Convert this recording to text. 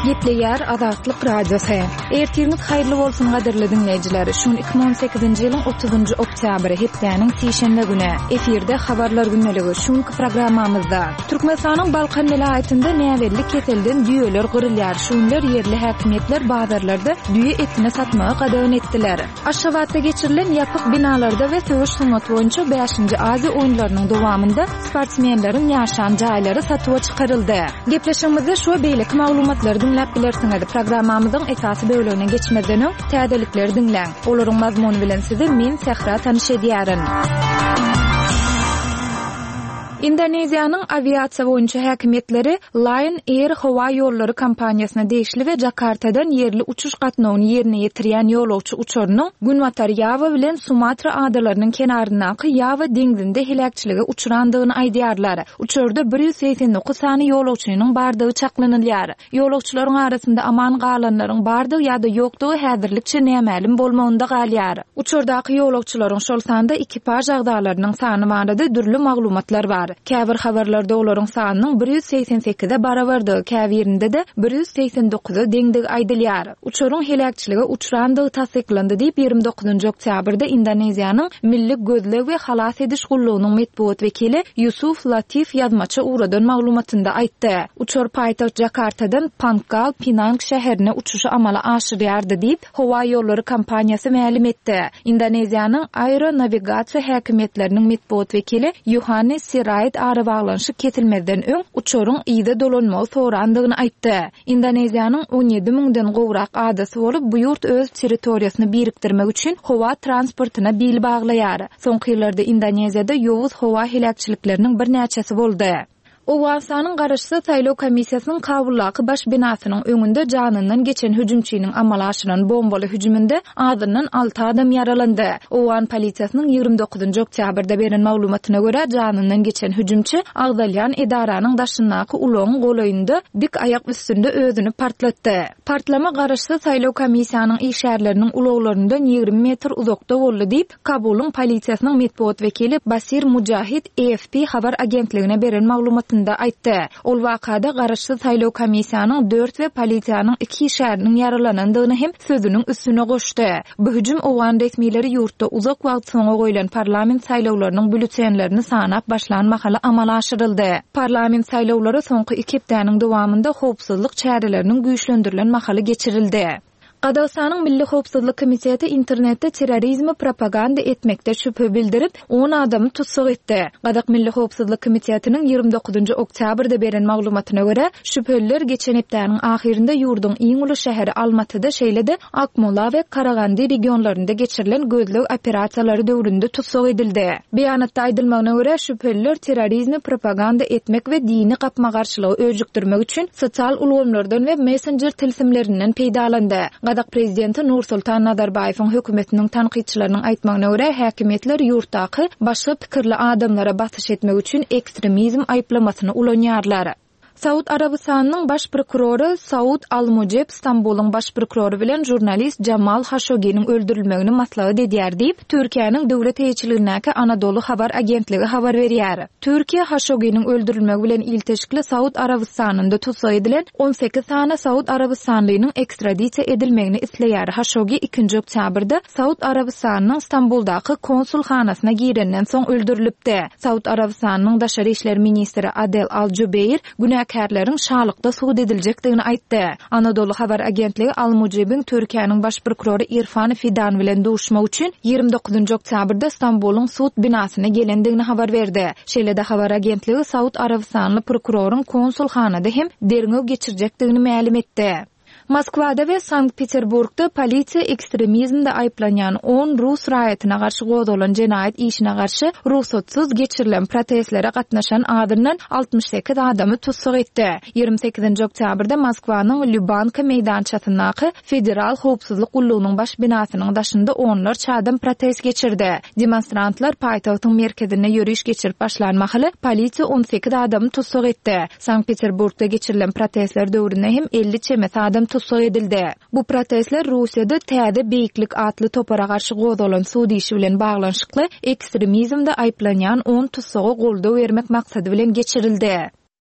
Gepleýär Azatlyk Radiosy. Ertiriňiz haýyrly bolsun gadyrly diňleýjiler. Şu gün 2018-nji ýylyň 30-njy oktýabry, hepdäniň sişenbe güni. Efirde Habarlar gündeligi. Şu günki programmamyzda Türkmenistanyň Balkan welaýatynda näbelli keselden düýeler gyrylýar. Şu günler ýerli häkimiýetler bazarlarda düýe etini satmagy gadagan etdiler. Aşgabatda geçirilen ýapyk binalarda we söweş sungaty boýunça bäşinji Aziýa oýunlarynyň dowamynda sportsmenleriň ýaşan jaýlary satuwa çykaryldy. Gepleşigimizde şu we beýleki maglumatlary diňläp bilersiňiz. Programmamyzyň esasy bölegine geçmezden öň, täzelikleri diňläň. Olaryň mazmuny bilen sizi men, Sähra tanyş edýärin. Indoneziýanyň awiasiýa boýunça häkimiýetleri Lion Air howa ýollary kompaniýasyna degişli we Jakartadan ýerli uçuş gatnawyny ýerine ýetirýän ýolagçy uçarynyň Günbatar Ýawa bilen Sumatra adalarynyň kenaryndaky Ýawa deňzinde heläkçilige uçrandygyny aýdýarlar. Uçarda 189 sany ýolagçynyň bardygy çaklanylýar. Ýolagçylaryň arasynda aman galanlaryň bardygy ýa-da ýokdugy häzirlikçe nämälim bolmagynda galýar. Uçardaky ýolagçylaryň, şol sanda ekipaž agzalarynyň sany barada dürli maglumatlar bar. Käbir habarlarda olaryň sanynyň 188-e barabardygy, käbirinde-de 189-a deňdigi aýdylýar. Uçaryň heläkçilige uçrandygy tassyklandy diýip, 29 oktýabrda Indoneziýanyň Milli gözleg we halas ediş gullugynyň metbugat wekili Ýusuf Latif ýazmaça ugradan maglumatynda aýtdy. Uçar paýtagt Jakartadan Pangkal Pinang şäherine uçuşy amala aşyrýardy diýip, howa ýollary kompaniýasy mälim etdi. Indoneziýanyň aeronawigasiýa häkimiýetleriniň metbugat wekili Ýohannes Sirait arabaglanyşyk kesilmezden öň uçaryň yza dolanmagy sorandygyny aýtdy. Indoneziýanyň 17 müňden gowrak adasy bolup, bu ýurt öz territoriýasyny birikdirmek üçin howa transportyna bil baglaýar. Soňky ýyllarda Indoneziýada ýowuz howa heläkçilikleriniň birnäçesi boldy. Owganystanyň Garaşsyz saýlaw komissiýasynyň Kabuldaky baş binasynyň öňünde janyndan geçen hüjümçiniň amala aşyran bombaly hüjüminde azyndan alty adam ýaralandy. Owgan polisiýasynyň 29 oktýabrda beren maglumatyna görä, janyndan geçen hüjümçi agzalýan edaranyň daşyndaky ulagyň golaýynda dik aýak üstünde özüni partlatdy. Partlama Garaşsyz saýlaw komissiýanyň işgärleriniň ulaglaryndan 20 metr uzakda boldy diýip, Kabulyň polisiýasynyň metbugat wekili Basir Mujahid AFP habar agentligine beren maglumatynda aýtdy. Ol wakada Garaşsyz saýlaw komissiýanyň dört we polisiýanyň iki işgäriniň ýaralanandygyny hem sözüniň üstüne goşdy. Bu hüjüm owgan resmileri ýurtda uzak wagt soňa goýlan parlament saýlawlarynyň býulletenlerini sanap başlan mahaly amala aşyryldy. Parlament saýlawlary soňky iki hepdäniň dowamynda howpsuzlyk çäreleriniň güýçlendirilen mahaly geçirildi. Gazagystanyň Milli howpsuzlyk komiteti internetde terrorizmi propaganda etmekde şübhe bildirip, on adamy tussag etdi. Gazak Milli howpsuzlyk komitetiniň 29 oktýabrda beren maglumatyna görä, şübheliler geçen hepdäniň ahyrynda ýurduň iň uly şäheri Almatyda, şeýle-de Akmola we Karagandy regionlarynda geçirilen gözleg operasiýalary döwründe tussag edildi. Beýanatda aýdylmagyna görä, şübheliler terrorizmi propaganda etmek we dini gapma-garşylygy öjükdirmek üçin sosial ulgamlardan we messenjer tilsimlerinden peýdalandy. Gazak prezidenti Nursultan Nazarbaýewiň hökümetiniň tankytçylarynyň aýtmagyna görä, häkimiýetler ýurtdaky başga pikirli adamlara basyş etmek üçin ekstremizm aýyplamasyny ulanýarlar. Saud Arabystanynyň baş prokurory Saud al-Mujeb Stambulyň baş prokurory bilen žurnalist Jamal Haşoginiň öldürilmegini maslahat edýär diýip, Türkiýäniň döwlet eýeçiligindäki Anadolu habar agentligi habar berýär. Türkiýe Haşoginiň öldürilmegi bilen ilteşikli Saud Arabystanynda tussag edilen 18 sany saud arabystanlynyň ekstradisiýa edilmegini isleýär. Haşogi ikinji oktýabrda Saud Arabystanynyň Stambuldaky konsulhanasyna girenden soň öldürilipdi. Saud Arabystanynyň daşary işler ministri Adel Al-Jubeýr günäkärleriň şalykda sud ediljekdigini aýtdy. Anadolu habar agentligi Al-Mujibiň Türkiýäniň baş prokurory Irfan Fidan bilen duşmak üçin 29 oktýabrda Stambulyň sud binasyna gelendigini habar berdi. Şeýle-de habar agentligi Saud Arabystanly prokuroryň konsulhanada hem derňew geçirjekdigini mälim etdi. Moskwada we Sankt-Peterburgda polisiýa ekstremizmde aýyplanýan on rus raýatyna garşy gozgalan jenaýat işine garşy rugsatsyz geçirilen protestlere gatnaşan azyndan 68 adamy tussag etdi. 28-nji oktýabrda Moskwanyň Lýubanka meýdançasyndaky Federal howpsuzlyk gullugynyň baş binasynyň daşynda onlarça adam protest geçirdi. Demonstrantlar paýtagtyň merkezinde ýöriş geçirip başlan mahaly polisiýa 18 adamy tussag etdi. Sankt-Peterburgda geçirilen protestler döwründe hem 50 çemesi adam tussag edildi. Bu protestler Russiýada Täze beýiklik atly topara garşy gozgalan sud işi bilen baglanyşykly ekstremizmde aýyplanýan on tussaga goldaw bermek maksady bilen geçirildi.